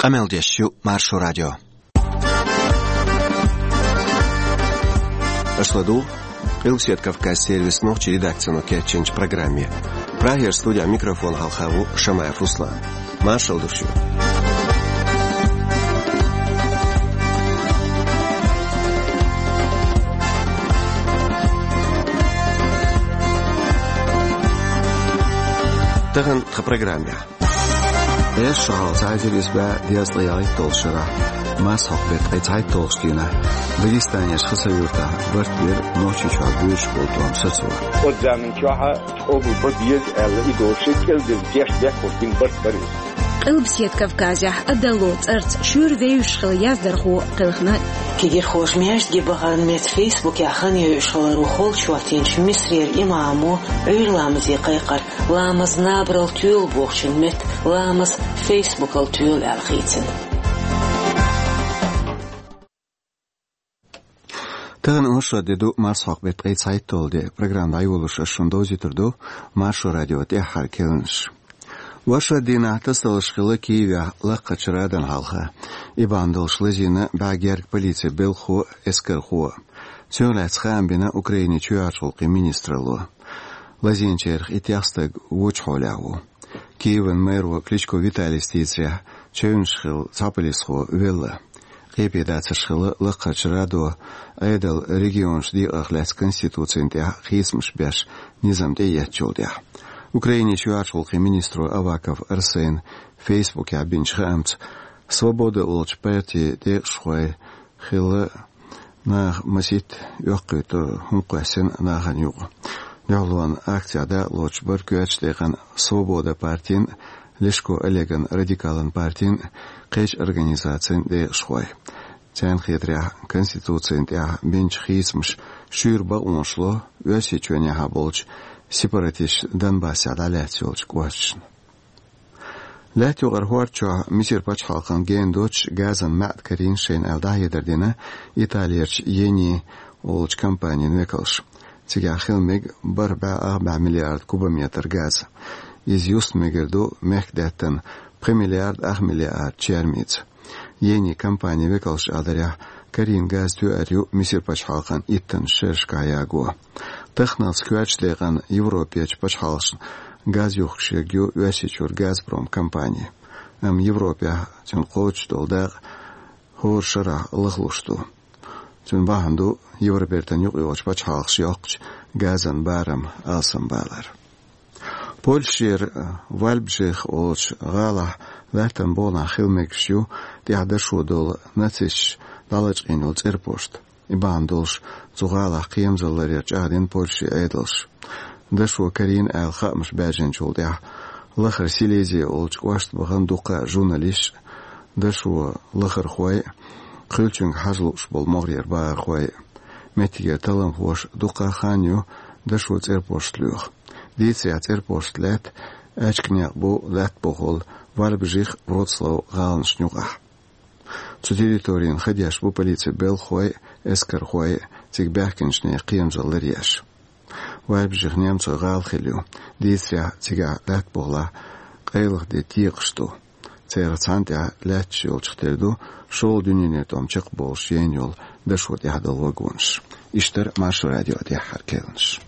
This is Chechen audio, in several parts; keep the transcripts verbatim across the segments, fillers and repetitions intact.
Къамел деш ю Маршо радио. Аша ладугӀу Къилбаседа Кавказ сервисан нохчийн редакцино кечйинчу программе. Прагера студехь микрофон хьалха ву Шамаев Руслан. Маршалла ду шуьга. Тахана тхан программехь. Эс шо хьалха цхьа эзар исс бӀе дезткъе ялхитталгӀачу шарахь, марсхьокху беттан ткъе цхьайтталгӀачу дийнахь, Дагестанерчу Хасавюртахь барт бира Нохчийчохь боьдуш болу тӀом сацо. Оцу заманчохь къобал бан беза аьлла, и долуш кӀелдина дешна бехкаш бина барт бара иза. Къилбаседа Кавказехь Адалло цӀарца шуьйра вевзаш хилла яздархо кхелхина. Кегирхоша маьждиге бахаран метта Фейсбукехь хан йойуш хиларо холчу хӀоттийначу Мисарера имамо Ӏуьйра ламазе кхайкхира. Ламаз набарал тоьлу бохучун метта, ламаз Фейсбукал тоьлу аьлла хийцина. Тахана оршот де ду, марсхьокху беттан ткъе цхьайтталгӀа де. Программа дӀайолош ас шуна довзуьйтур ду Маршо радион тӀаьххьара керланаш. Оршот дийнахь тасадаларш хилла Киевехь лакхарчу Радана хьалха. И бахьана долуш лазийна бӀе гергга полицин белхахо а, эскархо а. Цунах лаьцна хаам бина Украинин чоьхьарчу гӀуллакхийн министралло. Лазийначарах итт стаг вочу хьолехь ву. Киеван мэро Кличко Виталис дийцарехь, чевнаш хилла цхьа полисхо велла. Къепе дацарш хилла лакхарчу Радо Ӏедал регионаш декъарх лаьцна конституцина тӀехь хийцамаш беш низам тӀеэцначул тӀаьхьа. Украинин чоьхьарчу гӀуллакхийн министро Аваков Арсена Фейсбукехь бинчу хаамца, Свобода олучу партин декъашхой хилла наха масийтта оьккхуьйтур хӀума кхоьссина нахана юкъа. Дуьхьалонан акцехь дакъалоцуш бара коьртачу декъана Свобода партин, Лешко Олеган радикалан партин, кхечу организацийн декъашхой. Царна хетарехь, конституцина тӀехь бинчу хийцамаша шуьйра бакъонаш ло Оьрсийчоьнехьа болчу сепаратисташна Донбассехь дӀалаьцна йолчу кӀошташна. Лаьтта юкъара хӀорда чохь Мисар пачхьалкхана гена доцуш газан маьӀда карийна шайна аьлла дӀахьедар дина Италерчу Ени олучу компанин векалша. Цигахь хила мега бархӀ бӀе ах бӀе миллиард кубометр газ. Иза юста мегар ду мехкдаьттан пхи миллиард ах миллиард чермица. Ени компанин векалша аларехь, карийна газ тоьар ю Мисар пачхьалкхан иттаннаш шерашкахь яго. Таханалц коьртачу декъана Европерчу пачхьалкхашна газ юхкуш ерг ю Оьрсийчуьра Газпром компани. Амма Европехь цуьнан кхочуш долу дакъа хӀора шарахь лахлуш ду. Цуьнан бахьана ду Евробертан юкъайолчу пачхьалкхаша йоккхучу газан барам алсамбалар. Польшера Вальбжих олучу гӀалахь лаьттан богӀанахь хила мегаш ю тӀехь дашо долу нацисташа дӀалачкъийна йолу цӀерпошт. И бахьана долуш цу гӀалахь кхерамзалла ларъяр чӀагӀдина Польшин Ӏедалша. Дашо карийна аьлла хаамаш баьржинчул тӀаьхьа лахара Силезия олучу кӀошта бахана дуккха а журналисташ, дашо лахархой а, хуьлучуьнга хьажа лууш болу могӀарера бахархой а. Меттигера талламхоша дуккха а хан ю дашо цӀерпошт лоьху. Дийцарехь, цӀерпошт лаьтта аьчка некъ бу лаьтта бохула Вальбжих, Вроцлав гӀаланашна юкъахь. Цу территорина хан деш бу полицин белхахой а, эскархой а, цига баьхкинчу нехан кхерамзалла ларъеш. Вальбжих немцойн гӀала хилла ю. Дийцарехь, цигахь лаьтта бохулахь къайлаха де текхаш ду. Церан цхьана тӀехь лаьтташ йолчух тера ду шолгӀа дуьненан тӀом чекхболуш яйна йолу дашо тӀехь долу вагонаш. Иштта яра Маршо радион тӀаьххьара керланаш.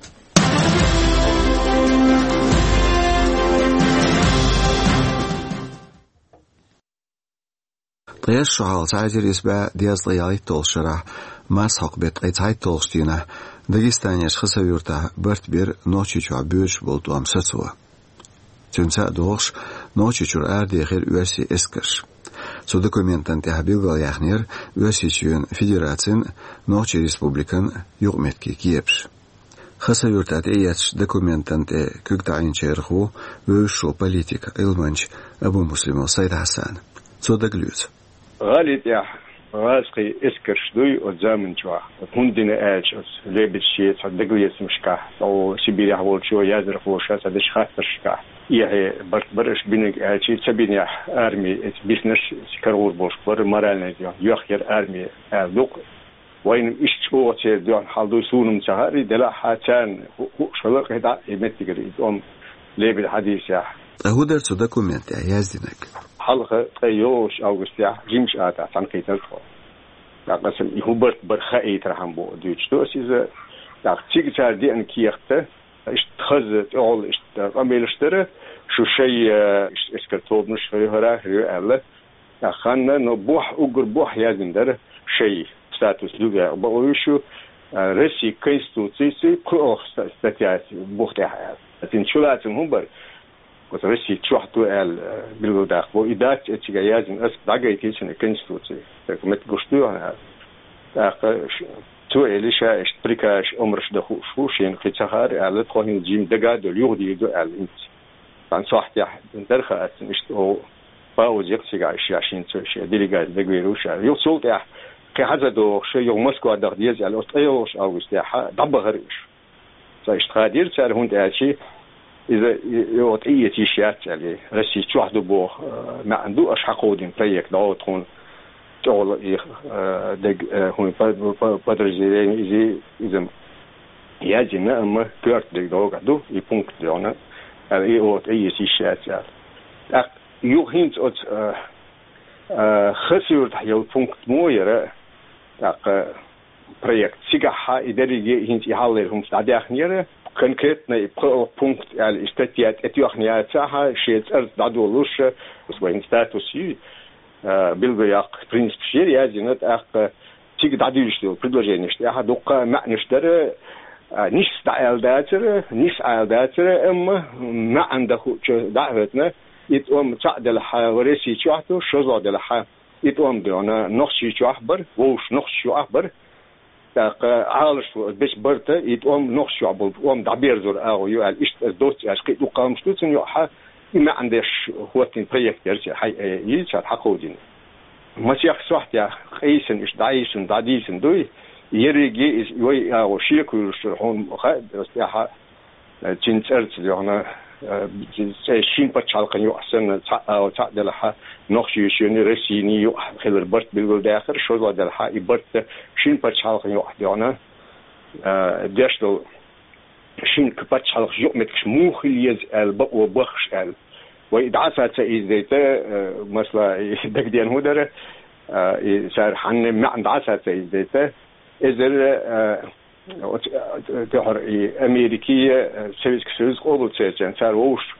Ткъе шо хьалха цхьа эзар исс бӀе дезткъе ялхитталгӀачу шарахь, марсхьокху беттан ткъе цхьайтталгӀачу дийнахь, Дагестанерчу Хасавюртахь барт бира Нохчийчохь боьдуш болу тӀом сацо. Цуьнца а догӀуш, Нохчийчуьра арадехира оьрсийн эскарш. Цу документана тӀехь билгалъяьхнера Оьрсийчоьнан Федерацин а, Нохчийн Республикан а юкъаметтигийн кепаш. Хасавюртахь тӀеэцначу документана тӀе куьг таӀийначарах ву вевзаш волу политик, Ӏилманча Абумуслимов Сайд-Хьасан. Цо дагалоьцу. ГӀали тӀехь гӀазкхийн эскарш дуй оцу заманчохь. ХӀунда дина аьлча, оцу лебедаш шен цхьа дагалецамашкахь, цо Сибирехь волчо яздархоша цхьа дечу хаттаршкахь, эхье барт бара аша бинарг аьлча, ца бинехь, арми эца биснарш карагӀур болуш бара, моральный йоьхкера арми аьлла ду-кх. Вайна иштта чӀогӀа церан дуьхьал хьал дуй суна-м ца хаьара, делахь а царна ху-, хууш хилла кхидӀа а и меттигара и тӀом лебеда хьадийсехь. Ткъа хӀун дара цу документехь яздинарг? Хьалха ткъе йолчу августехь жимчу атахь цхьаьнакхийтира тхо. ТӀаккха аса и хӀун барт бара хаийтархьама бу дуьйцуш ду аса иза. ТӀаккха цига цара деана кехат, иштта хаза тӀехула иштта къамелаш дара, шу шай, э, иштта эскар тобанаш хӀара, хӀара, хӀара аьлла. ТӀаккха ханна, но бохь, уггар бохь яздина дара шай статус дуьгахь бакъо ю шу, э, Россин Конституцийций пхоьалгӀа ста-, статья бух тӀехь аьлла. Цуьнан чулацам хӀун бара? Оцу Росси чохь ду аьлла, э, билгалдаккха бу. И дац, э, цигахь яздина, аса дӀагайтина цуьнан Конституци. Так, меттиг гуш ду хьуна аьлла. ТӀаккха ш-, цо элира ша иштта приказ, омраш дан хууш ву, шена кхин ца хаьара аьлла, тхо хӀинца жима дага а долу юхадийр ду аьлла хӀинца. Цхьана сохьтехь дара хаьа аса, иштта оха пауза яхка цигахь, ша шена цо, шен делегаци дагавер ву ша. Юха цул тӀаьхьа кхин хьан ца догӀуш, юха Москва даха деза аьлла, оцу ткъе йолчу августехь дӀабахара уьш. Цо иштта хадийра цара, хӀунда аьлча иза и, и оха тӀеэца йиш яц аьлла, Росси чохь ду боху, э, маьӀна ду аша хьакховдийна проект, дӀо тхуна тӀехула и, э, даг, э, хӀун, по-, по-, подразделение иза, иза яздина, амма коьрта дерг догӀу ду, и пункт догӀна, аьлла, и оха тӀеэца йиш яц аьлла. ТӀаккха юха хӀинца оцу, э, э, Хасавюртахь йолу пункт мо яра, тӀаккха проект. Цигахь и дерриге хӀинца и хьалхалера хӀуманаш дӀадаьхнера, конкретно и пхоьалгӀа пункт аьлла и статья тӀетоьхна яцахь, шен цӀарца дӀадолуш, вайн статус ю, а, билгалъяккха принципаш яра яздина, тӀаккха цига дӀадуьйцуш долу предложенеш тӀехь дуккха а маьӀнаш дара, а, нийса дӀааьлла дацара, нийса Ӏаьлла дацара, амма маьӀна дан хуучу дӀа а хӀоьттина, и тӀом цхьаъ делахь, Росси чохь ду, шозлагӀа делахь, и тӀом догӀна Нохчийчохь бара, вовшах нохчашна юкъахь бара. ТӀаккха Ӏалашо беза барта, и тӀом нохчашна юкъахь болу тӀом дӀаберзор агӀо ю аьлла, иштта аса доцца аьлча, кхин а дуккха а хӀуманаш ду цунна юкъахь, и маьӀна деш хӀоттийна проект яра цара, хьай-, э, и цара хьакховдийна. Масех сохьтехь къийсина, иштта дӀайисина, дӀадийцина дуй, ерриге иза вай агӀо шеко йолуш хьуна хаьа, аса тӀаьхьа Э, цуьнан цӀарца догӀна, э, цӀе шина пачхьалкхана юкъахь санна, цхьаъ, а, цхьаъ делахь, Нохчийчоьнний, Россиний юкъахь хилар барт билгалдаьккхира, шозлагӀа делахь, и барт шина пачхьалкхана юкъахь догӀна, э, деш долу шина к-, пачхьалкхан юкъаметтигаш муха хила еза аьлла, бакъо баххаш аьлла. Вай и дӀаса ца изадайта, э, масала, и дагадеана хӀун дара, э, и цара хьанна маьӀна дӀаса ца изадайта, эзар, э, Оц-, э, тӀехьара и Америкий, э, Советский Союз къобал ца яцахь, цара вовшах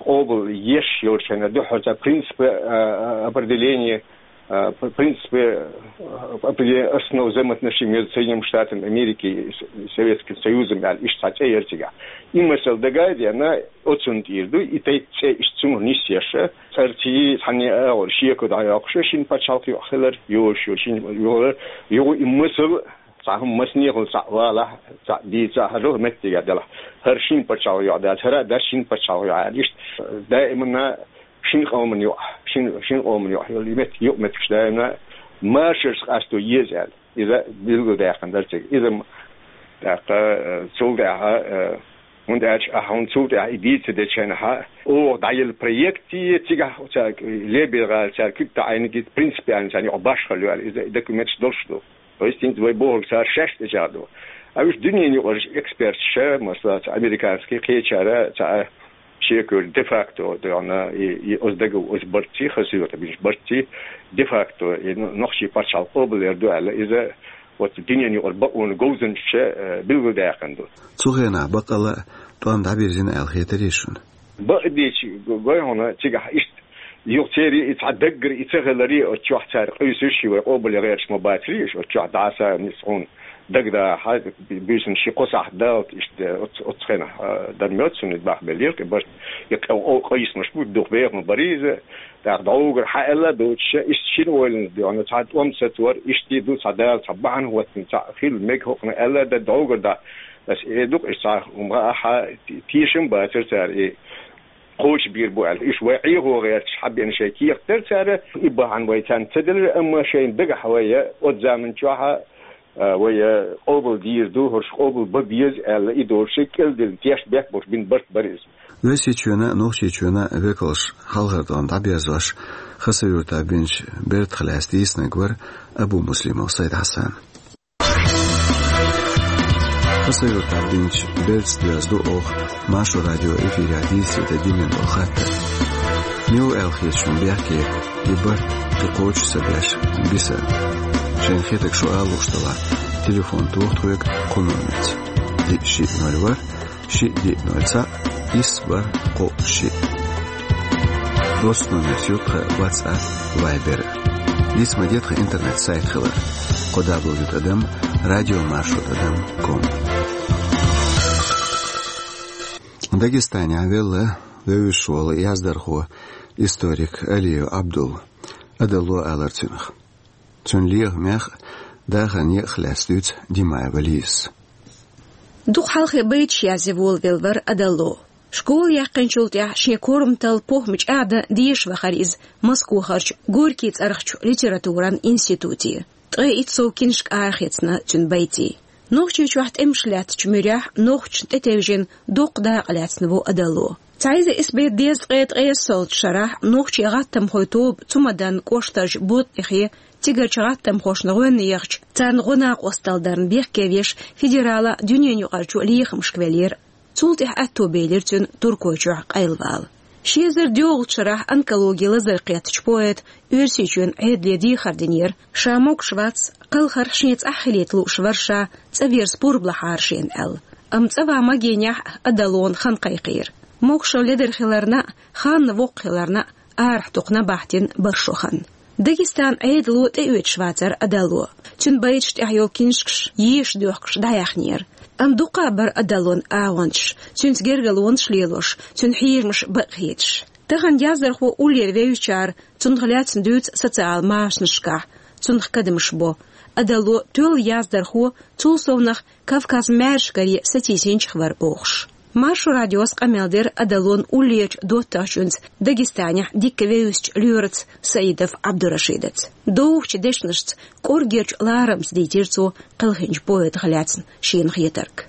къобал еш йолчу хенахь дуьххьара цара принципы, э, определения, э, п-, принципы, э, определения основ взаимоотношений между Соединёнными Штатами Америки и С-, Советским Союзом аьлла, иштта цхьа цӀе яра цигахь. И масал дага а деана, оцунна тӀера ду, и тайпа цӀе иштта цунах нисъеш, цӀарций, цхьанне а агӀор шеко дӀайоккхуш, шина пачхьалкх юкъахь хилар йолуш ю, шина юкъахь, юха и масал Цхьа хӀума массанехула цхьаъ валахь, цхьаъ дийцахь, хӀара меттиге делахь, хӀара шина пачхьалкх юкъахь дац, хӀара а дац шина пачхьалкх юкъахь аьлла. Иштта даиманна шина къоман юкъахь, шина, шина къоман юкъахь йолу и меттиг, юкъаметтигаш даиманна машарца къасто еза аьлла. Иза билгалдаьккхина дара цига. Иза м-, тӀаккха, э, цул тӀаьхьа, э, ХӀунда аьлча ахьа хӀунда цул тӀаьхьа и дийца дечу хенахь, оха дӀаелла проект, цигахь цара лебе гӀала, цара куьг таӀийна гита принципиально царна юкъахь башхалла ю аьлла, иза документаш долуш ду. То есть, хӀинца вай бохург цара шаьш тӀечӀагӀдо. А уьш дуьненан юкъара эксперташ, масала, цхьа американский кхечара, цхьа шекара де-факто, догӀна, и, и оцу дага, оцу барций, Хасавюртахь бинчу барций, де-факто, и нохчийн пачхьалкх къобалъяр ду аьлла, иза оцу дуьненан юкъара бакъонан говзанчаша, э, билгалдаьккхина ду. Цу хенахь баккъала а тӀом дӀабирзина аьлла хетарий шуна? Бакъдерг гой хьуна цигахь иштта. Юха церан и цхьа даггара и ца хиларе, оцу чохь цара къуьйсуш, вай къобалъян гӀерташ ма бацарий уьш, оцу чохь дӀаса нисса хьуна дагадахьа, буьйсанна ши-кхо сахьт далале иштта оцу, оцу хенахь, а, дан моьтту суна, и бахбеллера, и барт, и къ-, къо-, къийсамаш бу, дукха беха ма барий иза. ТӀаккха дӀогара хьан аьлла а доцуш, иштта шина ойланца догӀна, цхьа тӀом сацор, иштта ду цхьа Дала цхьа бахьана хӀоттийна, цхьаъ хила мега хӀокхунах аьлла а дан дӀогара дӀа. Аса эр ду-кх, иштта цхьа хӀума а хьан те-, тешам бацара цара и кхочушбийр бу аьлла. Уьш вай Ӏехо гӀерташ хьабеана шайн кехат дара цара, и бахьана вай царна ца делира, амма шайна дагахь вай оцу заман чохь а, а, вай, а, къобалдийр ду, хӀорш къобал бан беза аьлла, и долуш шайн кӀелдина тешнабехк болуш бина барт бара иза. Оьрсийчоьнан а, Нохчийчоьнан а векалш хьалхара тӀом дӀаберзош, Хасавюртахь бинчу бертах лаьцна дийцинарг вара Абумуслимов Сайд-Хьасан. Хасавюртахь бинчу бертаца доьзна ду оха Маршо радион эфирехь дийцаре дина долу хаттар. Мила аьлла хеташ шуна бехке, и барт кхин кхочуш ца беш, биса. Шайна хетарг шу ала лууш делахь, телефон тоха тхоьга кху номерца: диъ шиъ ноль ворхӀ, шиъ диъ ноль цхьаъ, исс бархӀ кхоъ шиъ. Оццу номерца ю тхан WhatsApp, Viber. Нийса ма де тхан интернет-сайт хилар: кхо дабл ю тӀадам радио маршо тӀадам ком. Дагестанехь велла вевзаш волу яздархо, историк Алиев Абдул, Адалло алар цунах. Цуьнан лехамех а, дахаран некъах а лаьцна дуьйцу Димаева Лизас. Дукха хьалхе байташ язъян волавелла вара Адалло. Школа яьккхинчул тӀаьхьа шен корматалла, похӀма чӀагӀдан дезаш вахара иза Москвахарчу Горький цӀарахчу литературан институте. Ткъе итт сов киншка арахецна цуьнан байтийн. Нохчийчохь тӀемаш лаьттачу муьрехь нохчашна тӀетевжина доккха дакъа лаьцна ву Адалло. Цхьа эзар исс бӀе дезткъе ткъайоьсналгӀачу шарахь нохчийн гӀаттамхойн тоба Цумадан кӀоштарчу Ботъихе, цигарчу гӀаттамхошна гӀоьнна яхча, царна гӀо-накъосталла дарна бехке веш, федералан а, дуьненаюкъарчу а лехамашка веллера. Цул тӀаьхьа аьтто белира цуьнан Туркойчохь къайлавала. Ши эзар доьалгӀачу шарахь онкологин лазар кхеттачу поэта Оьрсийчоьнан Ӏедале дехар динера, ша могуш вац, кхалхар шен цӀахь хилийта лууш вара ша, цӀа верза пурба лахьара шена аьлла. Амма цӀа ван магийнехь а Адаллона хан кхайкхийра. Могушалла ледара хиларна а, ханна воккха хиларна а, арахь дукха набахтина бара шо хан. Дагестанан Ӏедало тӀеоьцуш вацара Адалло. Цуьнан байташ тӀехь йолу киншкаш еша доьхкуш дӀаяьхнера. Амма дуккха а бара Адаллон агӀончаш, цуьнца гергарлонаш лелош, цуьнан хьежамаш бакъхеташ. Тахана яздархо уллера вевзачара цунах лаьцна дуьйцу социал машанашкахь, цунах кадамаш бо. Адалло тоьлла яздархо, цул совнах Кавказ маьршкаре сатийсинчех вара бохуш. Маршо радиос къамел дира Адаллон уллерачу доттагӀчуьнца, Дагестанехь дикка вевзачу лоьраца Саидов Абдурашидаца. Довхачу дешнашца, кӀоргерчу ларамца дийцира цо кхелхинчу поэтах лаьцна шена хетарг.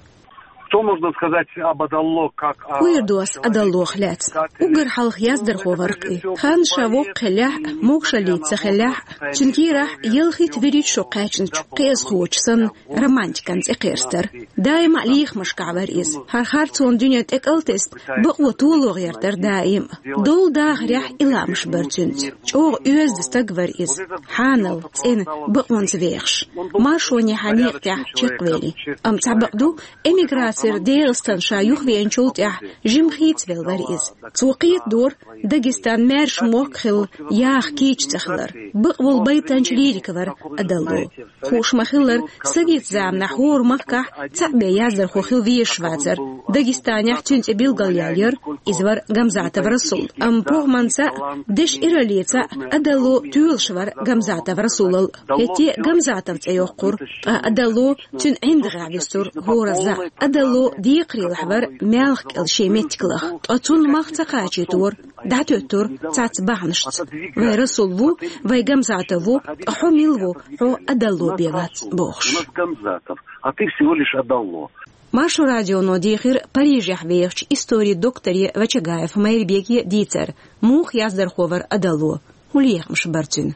Что можно сказать об Адалло как о... ХӀун эр ду ас Адаллох лаьцна? Уггар хьалха яздархо вара-кх и. Хан ша воккха хиллехь а, могушаллица ца хиллехь а, цуьнан кийрахь ялхитта, вуьрхӀитта шо кхаьчначу кхиазхочу санна романтикан цӀе кхерстара. Даима а лехамашкахь вара иза. ХӀара харцонан дуьне тӀекӀалтесна, бакъо толо гӀертара даима. Долу дахарехь и лаамаш бара цуьнца. ЧӀогӀа оьзда стаг вара иза. Хьанал, цӀена, бакъонца вехаш. Маршонехьа некъа тӀехь чекхвели. Амма цхьабакъ ду, эмиграцера ДегӀастан ша юхавеанчул тӀаьхьа жимма хийцавелла вара иза. Цо кхетадора, Дагестан маьрша мохк хилла яха кийча ца хилар. Бакъволу байтанча лирик вара Адалло. Хууш ма-хиллара, совет заманахь хӀора махкахь цхьаъ бен яздархо хила везаш вацара. Дагестанехь цуьнан цӀе билгалъяьлла яра, иза вара Гамзатов Расул. Амма похӀманца а, дешан ираллица а Адалло тоьлуш вара Гамзатов Расулал. ХӀетте а Гамзатов цӀе йоккхура, ткъа Адалло цуьнан ӀиндагӀехь вистура хӀоразза. Адалло декхарийлахь вара маьлхан кӀел шен меттиг лаха, ткъа цунна мах ца кхачийтора, дӀатоьттура цхьацца бахьанашца. Вай Расул ву, вай Гамзатов ву, ткъа хьо мила ву, хьо Адалло бен вац, бохуш. У нас Гамзатов, а ты всего лишь Адалло. Маршо радионо дийхира Парижехь вехачу историн докторе Вачагаев Майрбеке дийцар, муха яздархо вара Адалло, хӀун лехамаш бара цуьнан.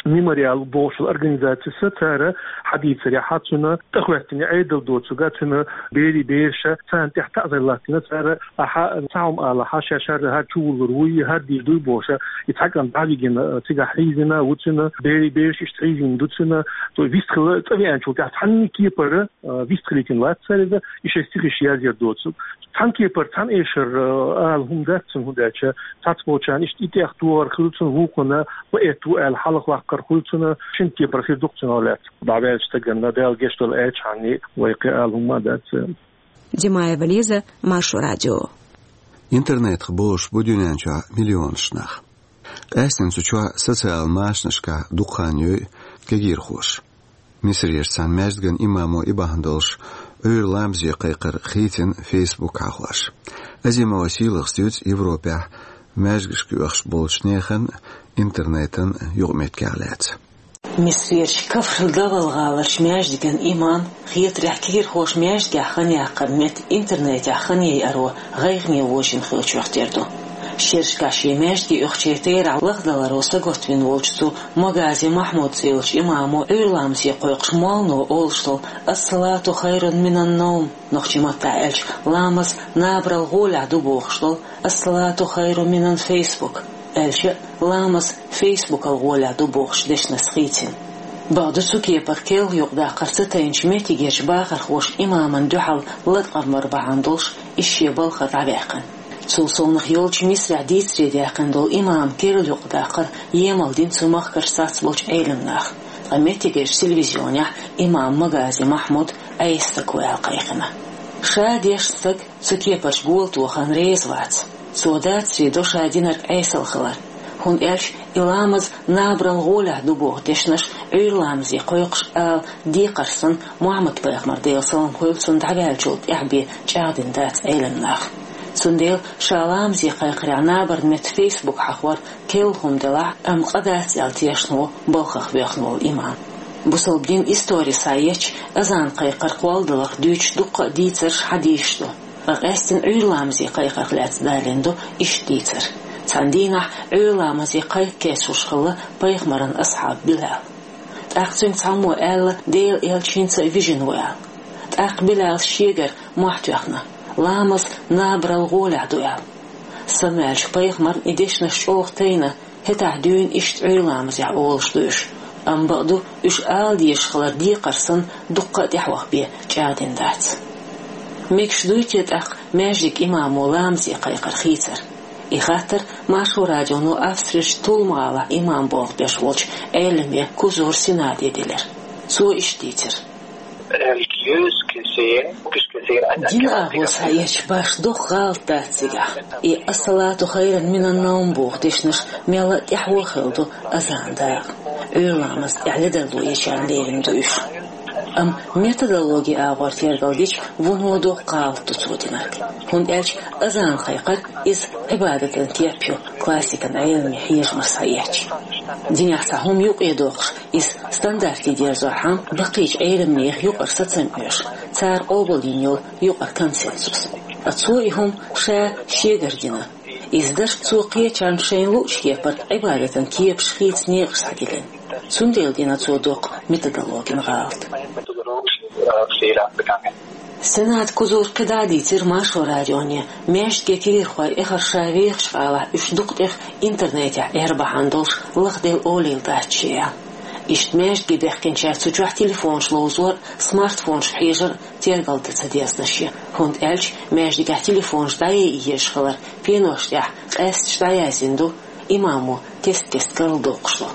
Мемориал бохучу организацис цара хьадийцарехь, цуьнан тӀехӀоьттина Ӏедал доцург, цуьнан берийн бераш, царна тӀехь таӀзар латтийна цара, ахьа цхьа хӀума алахь, ша шарра хӀара чувуллур вуй, хӀара дийр дуй бохуш, и цхьа кӀант дӀавигина, цигахь хьийзина ву цуьнан, берийн бераш иштта хьийзина ду цуьнан, то вистхила цӀа веанчул тӀаьхьа цхьанна кепара, а, вистхилийтина вац цара иза, и шайн стихаш язъяр доцург. Цхьана кепара, цхьана эшара, а, ала хӀума дац цуьнан, хӀунда аьлча цхьацца болчарна иштта и тӀех догӀар хуьлу цуьнан, вукхунна поэт ву аьлла хьалхаваккхар хуьлу цуьнан, шина кепара хир ду-кх цуьнан лаьцна. ДӀаваьллачу стагана Дала гечдойла аьлча хьанна вай кхин ала хӀума ма дац. Димаева Лиза, Маршо радио. Интернетах болуш бу дуьнен чохь миллионаш нах. Къаьсттина цу чохь социал машанашкахь дукха хан йой кегийрхоша. Мисарерчу цхьана маьждиган имамо и бахьана долуш Ӏуьйра ламазе кхайкхар хийцина Facebook хьахош. Азимова Сийлахас дуьйцу Европехь маьждигашка оьхуш болчу нехан интернетан юкъаметтигех лаьцна. Мисарерчу Кафр-Давал гӀаларчу маьждиган имам хетарехь, кегийрхоша маьждигехь хан яккхаран метта интернетехь хан яйаро гӀайгӀане вожийна хиллачух тера ду. Шерашкахь шен маьждиге оьхучеран терахь лахдаларо сагатвина волчу цу Магази Махьмуд цӀе йолчу имамо Ӏуьйра ламазе кхойкхуш моллано олуш долу: «Ас-салату хайрун минан-навм», нохчийн маттахь аьлча, ламаз набарал гӀолехь ду бохуш долу: «Ас-салату хайрун минан-фейсбук». аьлча а, ламаз Фейсбукал гӀолехь ду бохучу дешнашца хийцина. Бакъду, цу кепара керла юкъадаккхар ца тайначу меттигерчу бахархоша имамна дуьхьал латкъам бар бахьана долуш, иза шен балхара дӀаваьккхина. Цул совнаха йолчу Мисрехь дийцаре даьккхина долу имам керла юкъадаккхар емал дина цу махкарчу цхьацца болчу Ӏеламнаха, ткъа меттигерчу телевизионехь имам Магази Махьмуд Ӏеса стаг ву аьлла кхайкхина. Ша дешна стаг цу кепарчу гола тохарна реза вац. Цо дацаре до ша динарг Ӏесалла хилар, хӀунда аьлча и ламаз набарал гӀолехь ду боху дешнаш Ӏуьйра ламазе кхойкхуш ала декхар санна, Мухьаммад-пайхамар, Делан салам хуьлда цунна, дӀаваьллачул тӀаьхьа бен чӀагӀдина дац Ӏеламнаха. Цундела ша ламазе кхайкхарехь набарна метта Фейсбук хьахор керла хӀума делахь а, амма къа дац аьлла тешна ву балхах воьхна волу имам. Бусалба динан истори схьаэцча, азан кхайкхар кхолладаларх дуьйцуш дуккха а дийцарш, хьадисаш ду. Ткъа къаьсттина Ӏуьйра ламазе кхайкхарх лаьцна далийна ду иштта дийцар. Цхьана дийнахь Ӏуьйра ламазе кхайкха кечлуш хилла пайхамаран асхьаб Билал. ТӀаккха цуьнга цхьаммо аьлла, Делан элча хӀинца а вижина ву аьлла. ТӀаккха Билала шегара мохь тоьхна, ламаз набарал гӀолехь ду аьлла. Самаваьллачу пайхамарна и дешнаш чӀогӀа тайна, хӀетахь дуьйна иштта Ӏуьйра ламазехь олуш ду уьш. Амма бакъду, уьш ала дезаш хилар декхар санна, дуккха а тӀаьхьа ваха бен чӀагӀдина дац. Мегаш дуй те тӀаккха маьждиг имамо ламазе кхайкхар хийцар? И хаттар Маршо радионо Австрерчу Тулм-гӀалахь имам болх беш волчу Ӏеламе Кузур Сенаде делира. Цо иштта дийцира. Religiös gesehen, biologisch gesehen ein Динан агӀо схьаэцча, башха доккха гӀалат дац цигахь. И «Ас-салату хайрун минан-навм» боху дешнаш мелла а тӀаьхьо хилла ду азанан дакъа. Ӏуьйра ламаза тӀехь ледарло ечарна лерина ду уьш. Амма методологин агӀор тергал дича, вуно доккха гӀалат ду цо динарг. ХӀунда аьлча азан кхайкхар иза Ӏибадатан кеп ю классикан Ӏеламийн хьежамаш схьаэцча. Динехь цхьа хӀума юкъе доккхуш, иза стандартан дерзорхьама, баккхийчу Ӏеламнехан юкъара сацам оьшу, цара къобалйина йолу юкъара консенсус. Ткъа цо и хӀума ша шегара дина. Иза дашка цо кхечарна шайна луучу кепара Ӏибадатан кепаш хийца некъаш схьадиллина. Цундела дина цо доккха методологин гӀалат. Сенат Кузур кхидӀа а дийцира Маршо радионе, маьждиге кегийрхой эххар ша вехачу гӀалахь уьш дукха тӀех интернетехь Ӏер бахьана долуш лахделла олийла дац шен аьлла. Иштта маьждиге баьхкинчара цу чохь телефонаш ловзор а, смартфонашка хьежар а тергал дан ца дезна шен, хӀунда аьлча маьждигехь телефонаш дӀаяйа езаш хилар пенош тӀехь къаьсташ дӀаяздина ду, имамо кест-кеста карладоккхуш ду.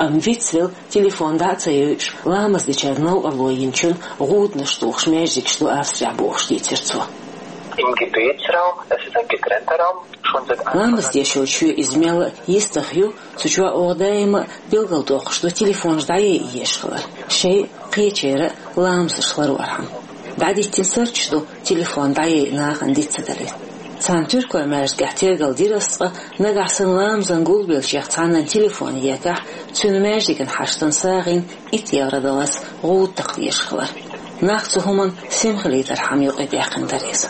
Амма вицвелла, телефон дӀа а ца йойуш, ламаз дечарна новкъарло йинчунна гӀуданаш тухуш маьждигаш ду Австрехь бохуш дийцира цо. Im Gebetsraum, es ist ein getrennter Raum, schon seit Anfang Ламаз деш йолчу иза мелла а йистах ю, цу чохь оха даима а билгалдоккхуш ду телефонаш дӀаяйа езаш хилар, шайн а, кхечеран а ламазаш ларорхьама. ДӀадиттина сурташ ду телефон дӀаяйа нахана диц ца далийта. Цхьана туркойн маьждигехь тергал дира ас, ткъа нагахь санна ламазан гулбеллачех цхьаннан телефон екахь, цуьнан маьждиган хьаштан сагӀина итт евро даллалц гӀуда такха дезаш хилар. Нах цу хӀуманна сема хилийтархьама юкъадаьккхина дара иза.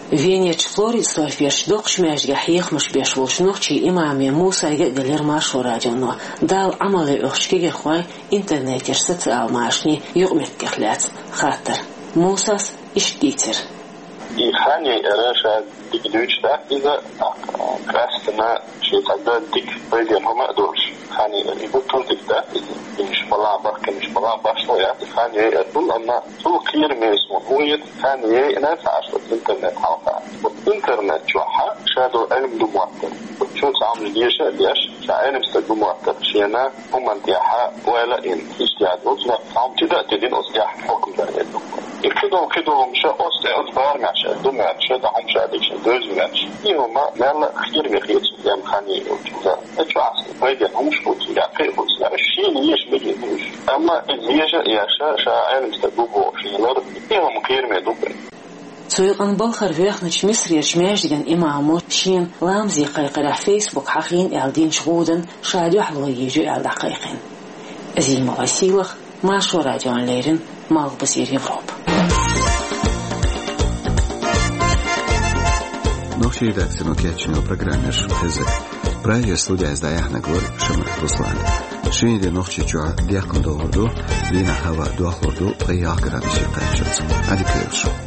Венерчу Флоридсдорферчу доккхачу маьждигехь хьехамаш беш волчу нохчийн имаме Мусайга а делира Маршо радионо, Далла Ӏамал ян оьхучу кегийрхойн интернетера, социал машанийн юкъаметтигех лаьцна хаттар. Мусас иштта дийцира. И хан яйар ша дика дуьйцуш дац иза, тӀаккха къаьсттина шен цхьа дан дика пайденна хӀума а долуш хан яйар. И хӀун дика дац иза, динаш балахь, бахканаш балахь башхо яц хан яйар. Амма цул кхераме суна хӀун хета, хан яйина ца Ӏаш оцу интернет хьалха. Оцу интернет чохь ша долу Ӏилма ду моттар. Оцу чу цхьа хӀуманаш деша а деш, ша Ӏилма стаг ду моттар. Шена хӀуманна тӀехь ойла а йина, иштта яц оцу, цхьа хӀума тида а тидина оцу тӀехь хьукам дар а ду. И кхидолу, кхидолу хӀума ша оцу тӀе оцу барамехь ша ду моьттуш, ша дӀа хӀума ша дика ша девза моьттуш. И хӀума мелла а кхераме хета суна, хан яйар оцу. Ша чохь пайденна хӀуманаш бу цигахь, кхин а бу цигахь. Шена еша мегар ду уьш. Амма иза еша а еш, ша Ӏилма стаг ву бохуш лар, и хӀума кхераме ду-кх. Цу юкъана балхара воьхначу Мисрерчу маьждиган имамо шена ламазе кхайкхарехь Фейсбук хьахийна аьлла динчу гӀуданна ша дуьхьало йийр ю аьлла дӀакхайкхийна. Зимова Сийлаха, Маршо радиона леррина, Малхбузера Европа. Нохчийн редакцино кечйина программа ю шуна хезнарг. Прагера студехь дӀаяьхьнарг вара Шамаев Руслан. Шинарин де Нохчийчохь деккъана догӀур ду, дийнахь хӀаваъ дохлур ду ткъе ялх градусе кхаччалц. Ӏадика йойла шун.